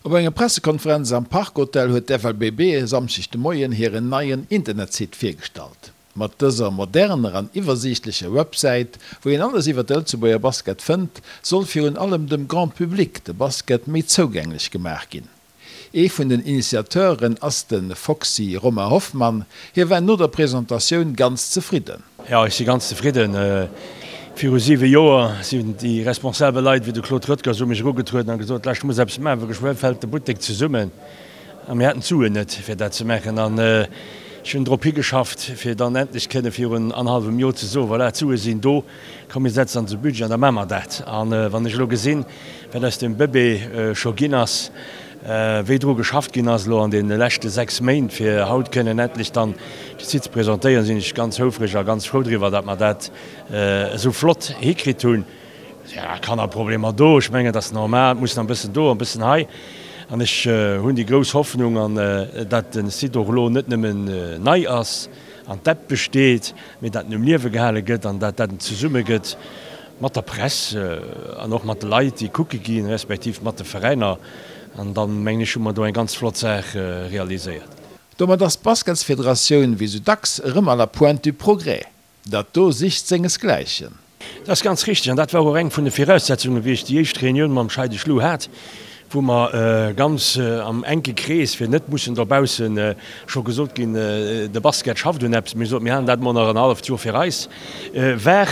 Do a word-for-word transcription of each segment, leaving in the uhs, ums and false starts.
Op enger Pressekonferenz am Park Hotel huet d'F L B B e Samschdeg de Moien hiren neien Internetsite virgestallt. Mat dëser moderner an iwwersiichtlecher Websäit, wou een alles iwwer de Lëtzebuerger Basket fënnt, soll virun allem dem Grand Public de Basket méi zougänglech gemaach ginn. Ee vun den Initiateuren ass de Foxy Romain Hoffmann, hie war no der Presentatioun ganz zefridden. Ja, ech si ganz zefridden. Viru siwe Joer sinn déi responsabel Leit wéi de Claude Röttger u mech erugetrueden a gesot, Lauscht, muss eppes maachen, well geschwë fält de Buttek zesummen. A mir haten d'Suen net, fir dat ze maachen. An ech hunn drop higeschafft, fir dann endlech kënne virun annerhallwem Joer ze soen, Voilà, d'Sue sinn do, komm mir setzen se an de Budget an da maache mer dat. An wann ech elo gesinn, wat aus dem Bëbee scho ginn ass, wéi dru geschafft ginn ass elo an deene leschte sechs Méint, fir haut kënnen endlech dann de Site ze presentéieren, sinn ech ganz houfreg a ganz frou driwwer, datt mer dat esou flott hikritt hunn. Jo, Kannerproblemer do, ech mengen, dat ass normal, et muss nach e bëssen do, e bëssen hei. An ech hunn déi grouss Hoffnung, an datt de Site och elo net nëmmen nei ass an d'App besteet, mee datt en um Liewe gehale gëtt an datt dat en zesumme gëtt mat der Press an och mat de Leit, déi kucke ginn, respektiv mat de Veräiner. An dann, mengen ech, hu mer do eng ganz flott Saach realiséiert. Domat ass d'Basketsfederatioun wéi sou dacks erëm à la pointe du progrès. Dat do sicht sengesgläichen. Dat ass ganz richteg an dat war och eng vun de Viraussetzungen, wéi ech déi éischt Reunioun mam Scheide Schlu hat, wou mer ganz am enke Krees, fir net mussen dobausse scho gesot ginn, de Basket schafft un eppes, mir soten, mir halen dat mol nach en halleft Joer fir eis, war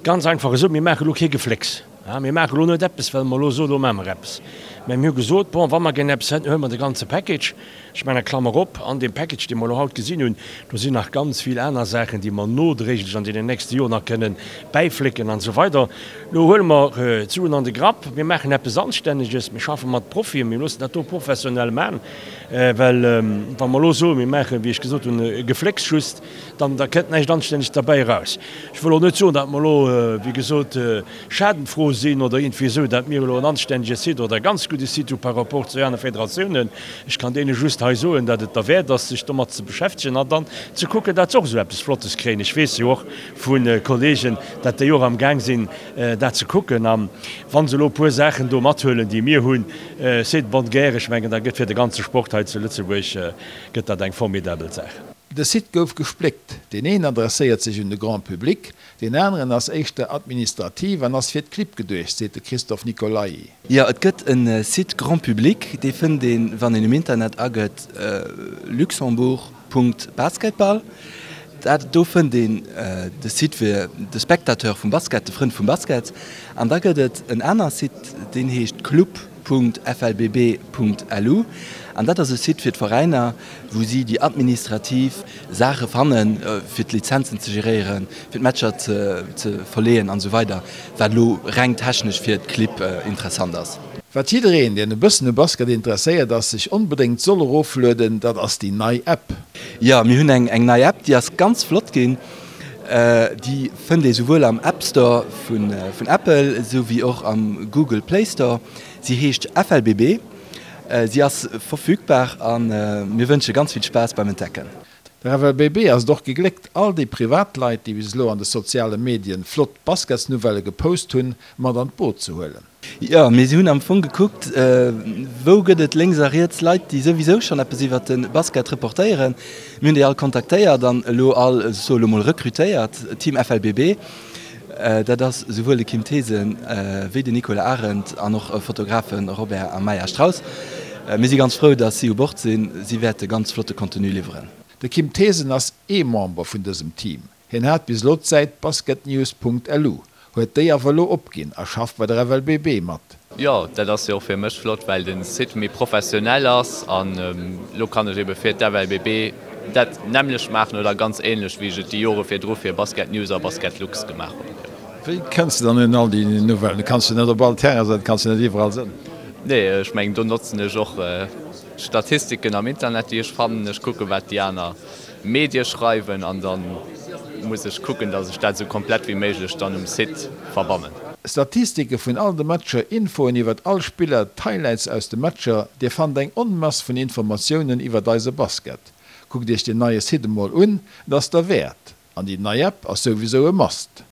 ganz einfach esou, mir maache lo kee Geflécks. Mir maache lo net eppes, well mer elo soen, elo maache mer eppes. Mä mir hu gesot, bon, wa mer gären eppes hätten, huele mer de ganze Package. Ech maachen eng Klammer op, an deem Package, dee mer elo haut gesinn hunn, do sinn nach ganz vill aner Saachen, déi mer nodréiglech an deenen nächste Joren nach kënnen bäiflécken an esou weider. Elo huele mer d'Suen an de Grapp, mir maachen eppes Anstänneges, mir schaffe mat Profien, mir loossen dat do professionell maachen, well wa mer elo soen, mir maachen, wéi ech gesot hunn, e Geflécks just, dann da kënnt näischt Anstänneges derbäi eraus. Ech wëll och net soen, datt mer elo, wéi gesot, schadenfroh sinn oder iergendwéi esou, datt mir elo en anstännege Site oder e ganz gudde Site hu par rapport zu anere Federatiounen. Ech kann deene just hei soen, datt et derwäert ass, sech domat ze beschäftegen an dann ze kucken, datt se och esou eppes Flottes kréien. Ech weess jo och vu Kollegen, datt déi och am Gaang sinn, dat ze kucken. A wa se elo e puer Saachen do mathuelen, déi mir hunn, c'est de bonne guerre. Ech mengen, da gëtt fir de ganze Sport hei zu Lëtzebuerg gëtt dat eng formidabel Saach. De Site gouf gespléckt, deen een adresséiert sech un de Grand Public, deen aneren ass éischter administrativ an ass fir d'Clibb geduecht, seet de Christophe Nicolai. Jo, et gëtt e Site Grand Public, dee fënnt een, wann een um Internet agëtt luxembourg Punkt basketball. Dat do fënnt een de Site fir de Spectateur vum Basket, de Frënd vum Basket. An da gëtt et en aner Site, deen heescht club Punkt F L B B Punkt L U an dat ass e Site fir d'Veräiner, wou si déi administrativ Saache fannen, fir d'Lizenzen ze geréieren, fir d'Matcher ze ze verleeën an esou weider, wat elo reng technesch fir d'Clibb interessant ass. Wat jiddereen, deen e bëssen u Basket interesséiert ass, sech onbedéngt soll eroflueden, dat ass déi nei App. Jo, mir hunn eng eng nei App, déi ass ganz flott ginn. Déi fënnt ee souwuel am App Store vun vun Apple esou wéi och am Google Play Store. Si heescht F L B B. Si ass verfügbar a mir wënsche ganz vill Spaass beim Entdecken. Der F L B B ass et och gegléckt, all déi Privatleit, déi bis elo an de soziale Medien flott Basketsnouvellë gepost hunn, mat an d'Boot ze huelen. Jo, mir hunn am Fong gekuckt, wou gëtt et lénks a riets Leit, déi souwisou schonn eppes iwwert de Basket reportéieren. Mir hunn déi all kontaktéiert an elo all, ech soe elo mol, rekrutéiert, Team F L B B. Dat ass souwuel de Kim Thesen wéi den Nicolas Arendt an och Fotografen Robert a Maya Strauss. Mir si ganz frou, datt si u Bord sinn. Si wäerte ganz flotte Contenu liwweren. De Kim Thesen ass ee Member vun dësem Team. Hien hat bis elo d'Säit basketnews Punkt L U, huet déi awer elo opginn a schafft bei der F L B B mat. Jo, dat ass jo och fir mech flott, well de Site méi professionell ass an elo kann ech ebe fir d'F L B B dat nämmlecht maachen oder ganz änlech, wéi ech et déi Jore virdru fir Basket News a Basket Lux gemaach hunn. Wéi kënns de dann un all déi Nouvellen? Du kanns jo net op all Terrain sinn, du kanns jo net iwwerall sinn. Nee, ech mengen, do notzen ech och Statistiken am Internet, déi ech fannen. Ech kucken, wat déi aner Medie schreiwen an da muss ech kucken, datt ech dat esou komplett wéi méiglech dann um Site verbannen. Statistike vun all de Matcher, Infoen iwwert all Spiller, d'Highlights aus de Matcher, Dir fannt eng Onmass vun Informatiounen iwwert eise Basket. Kuckt Iech den neie Site emol un, et ass derwäert. An déi nei App ass souwisou e Must.